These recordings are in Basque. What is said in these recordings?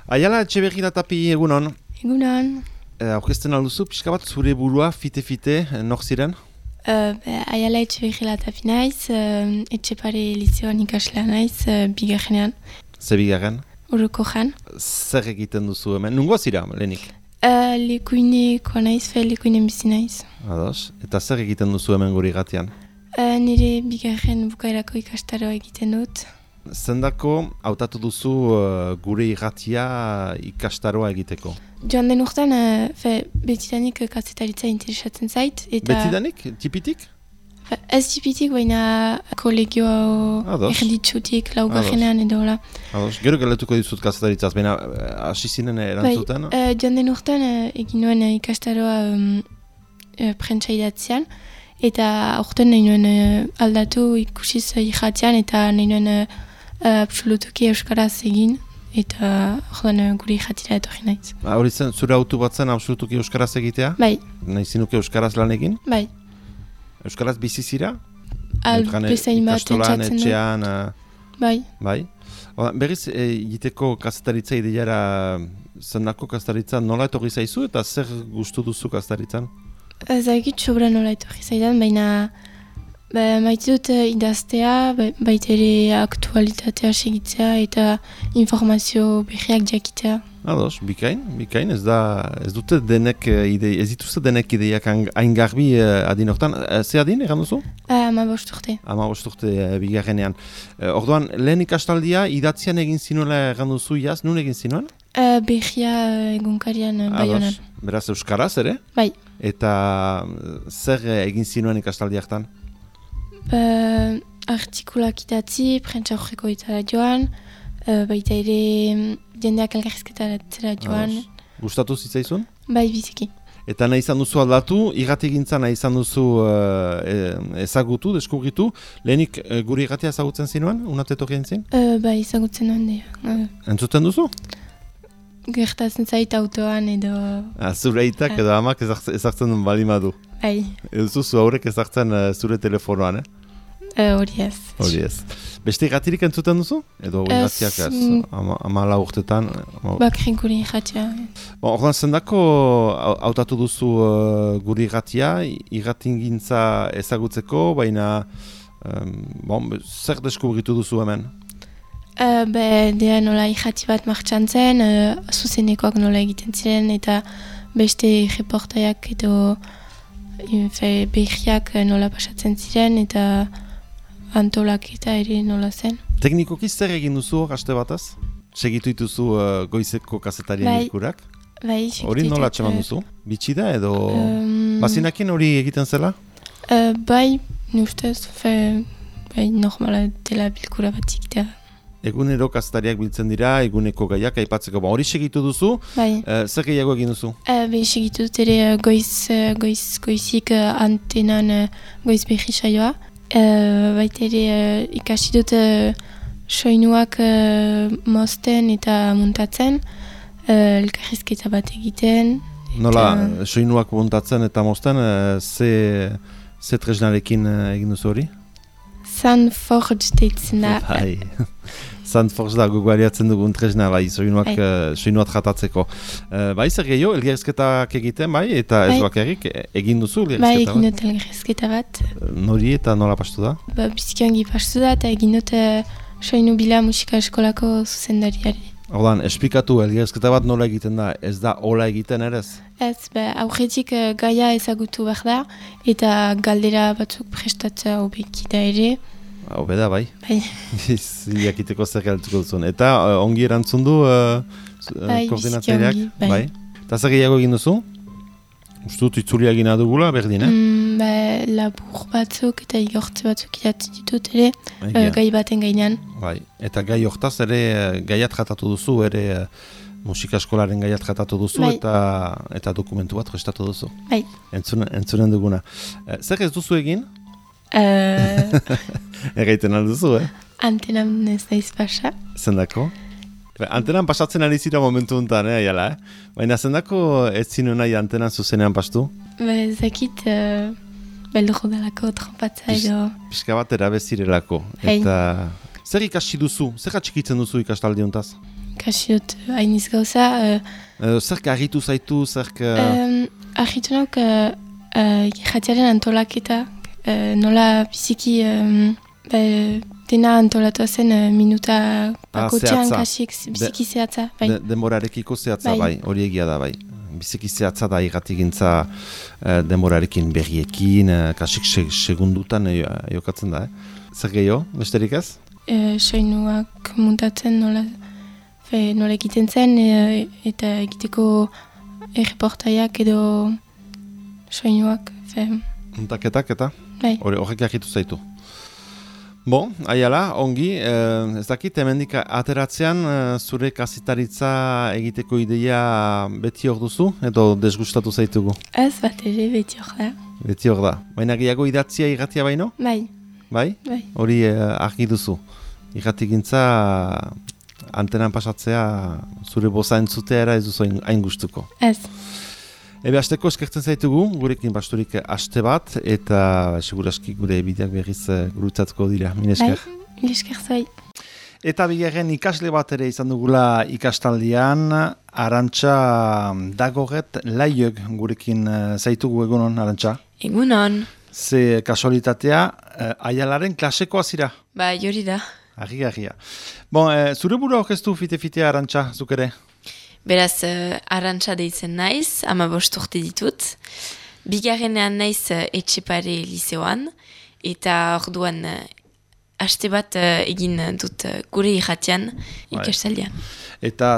Aiala Etxeberri Tapi egunon. Egunon. Aurkezten alduzu, pixka bat zure burua, fite-fite, nor ziren? Aiala Etxeberri Tapi naiz, Etxepare Lizioan ikaslea naiz, bigarrenean. Ze bigarren? Oroko jan. Zer egiten duzu hemen? Nungoa zira, lehenik? Lekuinekoa naiz, lekuinen bizi naiz. Ados, eta zer egiten duzu hemen guri gatian? Nire bigarren bukaerako ikastaroa egiten dut. Zendako hautatu duzu gure irratia ikastaroa egiteko? Joan den urtean, betidanik kazetaritza interesatzen zait. Betidanik? Tipitik? Ez tipitik, baina kolegioa erditsutik, laugarrenean edo hola. Gero galetuko dizut kazetaritzaz, baina hasi zinen erantzuten? Joan den urtean egin nuen ikastaroa prentsa idatzean, eta aurten nahi nuen aldatu ikusiz irratian, eta nahi nuen absolutuki euskaraz egin, eta ordan gure irratira etorri naiz. Hori zen, zure autu bat zen absolutuki euskaraz egitea? Bai. Nahi zinuke euskaraz lan egin? Bai. Euskaraz bizizira? Bezain bat entzatzen du. Etxean? Bai. Bai. Berriz, egiteko kazetaritza ideiara zendako kazetaritza nola etorri zaizu eta zer gustu duzu kazetaritzan? Ezagit sobra nola etorri zaidan, baina maite dut idaztea, baita ere aktualitatea segitzea eta informazio berriak jakitea. Ados, bikain, ez dute denek ez dituzte denek ideiak hain garbi adin hortan. Ze adin, egan duzu? 15 urte. 15 urte bigarrenean. Orduan, lehen ikastaldia idatzian egin zinuela egan duzu iaz, nun egin zinuen? Berria egunkarian Baionan. Beraz, euskaraz ere? Bai. Eta zer egin zinuen ikastaldi hartan? Artikulak idatzi, prentsa horreko itara joan, baita ere jendeak elgarrizketaratzera joan. Gustatu zitzaizun? Bai, biziki. Eta nahi izan duzu aldatu, irratigintza nahi izan duzu ezagutu, deskubritu. Lehenik guri irratia ezagutzen zinuen, unatetok egin zin? Bai, ezagutzen nuen dira. Entzuten duzu? Gertatzen zait autoan edo... Zure aitak edo amak ezartzen duen balimadu. Bai. Ez duzu haurek ezartzen zure telefonoan, Hori ez. Hori ez. Beste irratirik entzuten duzu? Edo irratiak ez? 14 urtetan? Bakrik guri irratia. Ordan zendako hautatu duzu guri irratia, irratingintza ezagutzeko, baina zer deskubritu duzu hemen? Dea nola irrati bat martxan zen, zuzenekoak nola egiten ziren, eta beste reportaiak edo berriak nola pasatzen ziren, eta antolak eta ere nola zen. Teknikoki zer egin duzu haste bataz? Segitu dituzu goizeko kazetarien ikurak? Bai, segitu. Hori nola atxeman duzu? Bitxida edo bazinakin hori egiten zela? Bai, nustez, normala dela bilkura bat egitea. Egunero kazetariak biltzen dira, eguneko gaiak aipatzeko. Hori segitu duzu, zer gehiago egin duzu? Segitu dut ere goizik antenan goiz berri saioa. Baita ere ikasi dut soinuak mozten eta muntatzen, elkarrizketa bat egiten. Nola, soinuak muntatzen eta mozten, ze tresnarekin egin duzu hori? Soundforge deitzen da. Bai, Soundforge da gogoariatzen dugun tresna, bai, soinuak jatatzeko. Bai, zer gehiago, elgerrizketak egiten, bai, eta ez bakarrik egin duzu elgerrizketa bat? Bai, egin dut elgerrizketa bat. Nori eta nola pastu da? Biziki ongi pastu da, eta egin dut soinu bila musika eskolako zuzendariari. Ordan, esplikatu elgerrizketa bat nola egiten da, ez da hola egiten ere ez? Ez, aurretik gaia ezagutu behar da, eta galdera batzuk prestatzea hobeki da ere. Hobe da, bai. Bai. Jakiteko zer galtuko duzun. Eta ongi erantzun du koordinatzaileak? Bai. Eta zer gehiago egin duzu? Ustut itzulia egina dugula, berdin, labur batzuk eta igortze batzuk idatzen ditut ere, gai baten gainean. Bai. Eta gai hortaz ere gaiat jatatu duzu, ere musika eskolaren gaiat jatatu duzu, eta dokumentu bat prestatu duzu. Bai. Entzunen duguna. Zer ez duzu egin? Egaiten alduzu, Antenan ez naiz pasa. Zendako? Antenan pasatzen ari zira momentu honetan, jala, Baina zendako ez zinu nahi antenan zuzenean pastu? Zakit, beldurro dalako, trompatza edo... Pixka bat erabezirelako. Eta zer ikasi duzu? Zer atxikitzen duzu ikastaldi hontaz? ikasi dut hainiz gauza. Zerk argitu zaitu, zerk... Argitu nauk jatiaren antolaketa, nola biziki dena antolatua zen minuta bakotxean kasik biziki zehatza. Demorarekiko zehatza, bai, hori egia da, bai. Biziki zehatza da irratigintza demorarekin berriekin, kasik segundutan jokatzen da. Zer gehiago, besterik ez? Soinuak muntatzen nola egiten zen eta egiteko erreportaiak edo soinuak. Muntaketak eta? Bai. Horrek agitu zaitu. Bon, aiala, ongi, ez dakit, hemendik ateratzean zure kasitaritza egiteko ideia beti hor duzu, edo desgustatu zaitugu? Ez bat ere beti hor da. Beti hor da. Baina gehiago idatzia irratia baino? Bai. Bai? Bai. Hori argi duzu. Irratigintza antenan pasatzea zure boza entzutea era ez duzu hain gustuko. Ez. Ebe hasteko eskertzen zaitugu, gurekin basturik aste bat, eta seguraski gure bideak berriz gurutzatuko dira. Mil esker. Bai, mil esker zai. Eta bigarren ikasle bat ere izan dugula ikastaldian, Arantxa Dagoret Laiok gurekin zaitugu egunon, Arantxa? Egunon. Ze kasualitatea, Aialaren klasekoa zira? Ba, jori da. Argia. Bon, zure burua orkestu fite-fitea, Arantxa, zuk ere? Beraz, Arantxa deitzen naiz, 15 urte ditut. Bigarrenean naiz Etxepare liseoan, eta orduan haste bat egin dut gure irratian ikastaldian. Eta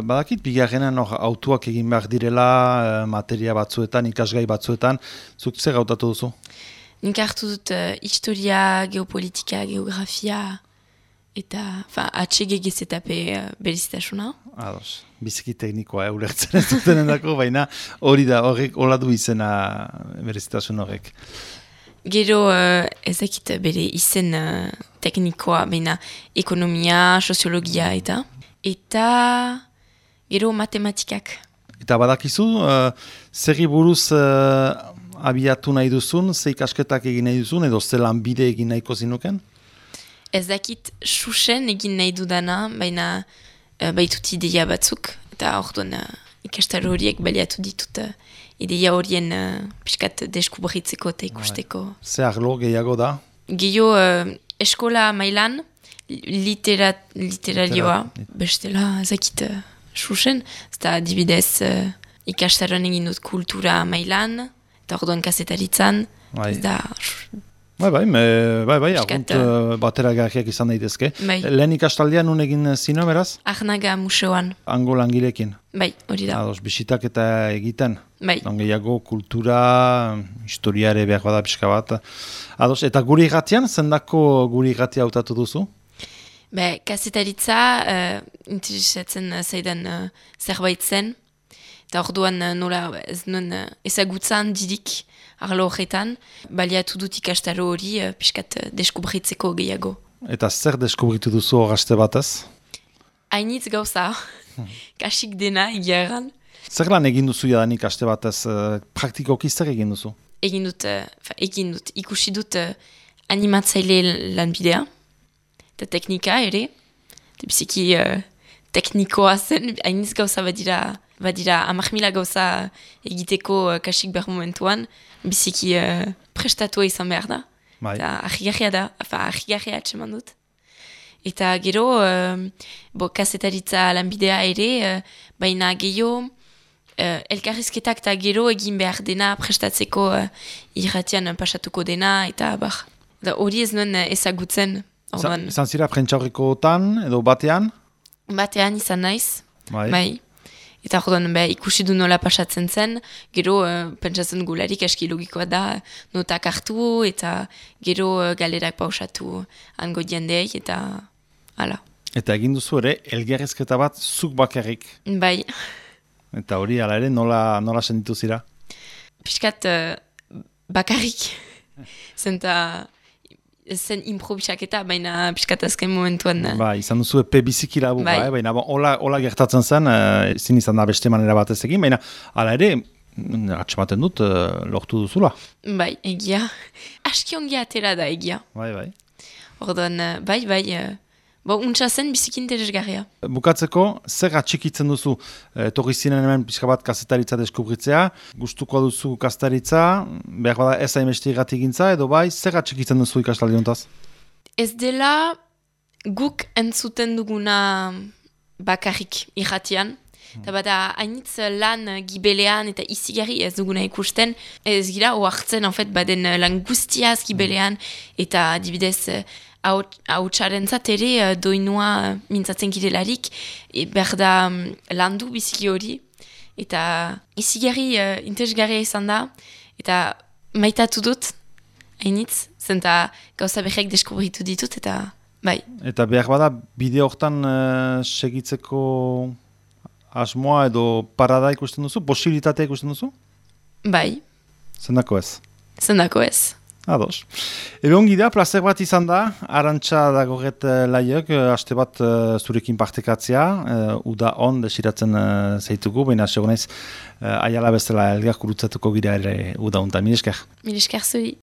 badakit bigarrenean autuak egin behar direla, materia batzuetan, ikasgai batzuetan, zuk zer gautatu duzu? Nik hartu dut historia, geopolitika, geografia, eta HGGZP berezitasuna. Ados, biziki teknikoa ulertzen ez dutenen dako, baina hori da, horrek hola du izena berezitasun horrek. Gero ezakit bere izen teknikoa, baina ekonomia, soziologia eta gero matematikak. Eta badakizu, zerri buruz abiatu nahi duzun, ze ikasketak egin nahi duzun, edo ze lanbide egin nahiko zinuken? Ez dakit susen egin nahi dudana, baina baitut ideia batzuk, eta orduan ikastaro horiek baliatu ditut ideia horien piskat deskubritzeko eta ikusteko. Ze arlo gehiago da? Gehiago eskola mailan, literarioa, bestela ezakit susen, eta adibidez ikastaroan egin dut kultura mailan, eta orduan kasetaritzan, ez da... Bai, argunt batera garriak izan daitezke. Bai. Lehen ikastaldean nun egin zino, beraz? Arnaga museoan. Hango langilekin? Bai, hori da. Ados, bisitak eta egiten? Bai. Gehiago kultura, historiare behar bada pixka bat. Ados, eta guri irratian, zendako guri irratia hautatu duzu? Kasetaritza interesatzen zaidan zerbait zen. Eta orduan nola ez nuen ezagutzan didik arlo horretan, baliatu dut ikastaro hori piskat deskubritzeko gehiago. Eta zer deskubritu duzu horaste batez? Hainitz gauza, kasik dena egiaran. Zer lan egin duzu jadanik aste batez, praktikoki zer egin duzu? Egin dut, ikusi dut animatzaile lanbidea, eta teknika ere, eta biziki teknikoa zen, hainitz gauza badira 10.000 gauza egiteko kasik behar momentuan, biziki prestatua izan behar da. Eta ahigarria da, ahigarria atseman dut. Eta gero, kasetaritza lanbidea ere, baina gehiago, elkarrizketak eta gero egin behar dena prestatzeko irratian pasatuko dena, eta hori ez nuen ezagutzen. Izan zira prentsaurrekotan edo batean? Batean izan naiz, bai. Eta orduan ikusi du nola pasatzen zen, gero pentsatzen gularik aski logikoa da notak hartu eta gero galerak pausatu hango jendeei eta hala. Eta egin duzu ere, elgerrezketa bat zuk bakarrik. Bai. Eta hori hala ere nola sentitu zira? Piskat bakarrik. Zen improvisaketa, baina piskat azken momentuan. Izan duzu epe biziki labu, baina hola gertatzen zen, ezin izan da beste manera batez egin, baina hala ere, atxematen dut, lortu duzula. Bai, egia. Aski ongi atera da egia. Bai. Orduan, untsa zen biziki interesgarria. Bukatzeko, zer atxikitzen duzu? Torri zinen hemen pixka bat kazetaritza deskubritzea, gustuko duzu kazetaritza, behar bada ez hainbeste gintza, edo bai, zer atxikitzen duzu ikastaldi hontaz? Ez dela guk entzuten duguna bakarrik irratian, eta bada hainitz lan gibelean eta izigarri ez duguna ikusten, ez gira oartzen baden lan guztiaz gibelean, eta adibidez hautsaren ere doinua mintzatzen girelarik, behar da landu biziki hori, eta izigarri interesgarria izan da, eta maitatu dut, hainitz, zenta gauza berriak deskubritu ditut, eta bai. Eta behar bada bideo hortan segitzeko asmoa edo parada ikusten duzu? Posibilitatea ikusten duzu? Bai. Zendako ez? Zendako ez. Ados. Ebe ongi da, plazer bat izan da, Arantxa dagoret laiek, haste bat zurekin partekatzea, uda on desiratzen zeitugu, baina segonaiz aiala bezala elgar kurutzatuko gira ere uda untan. Mil esker. Mil esker zuri.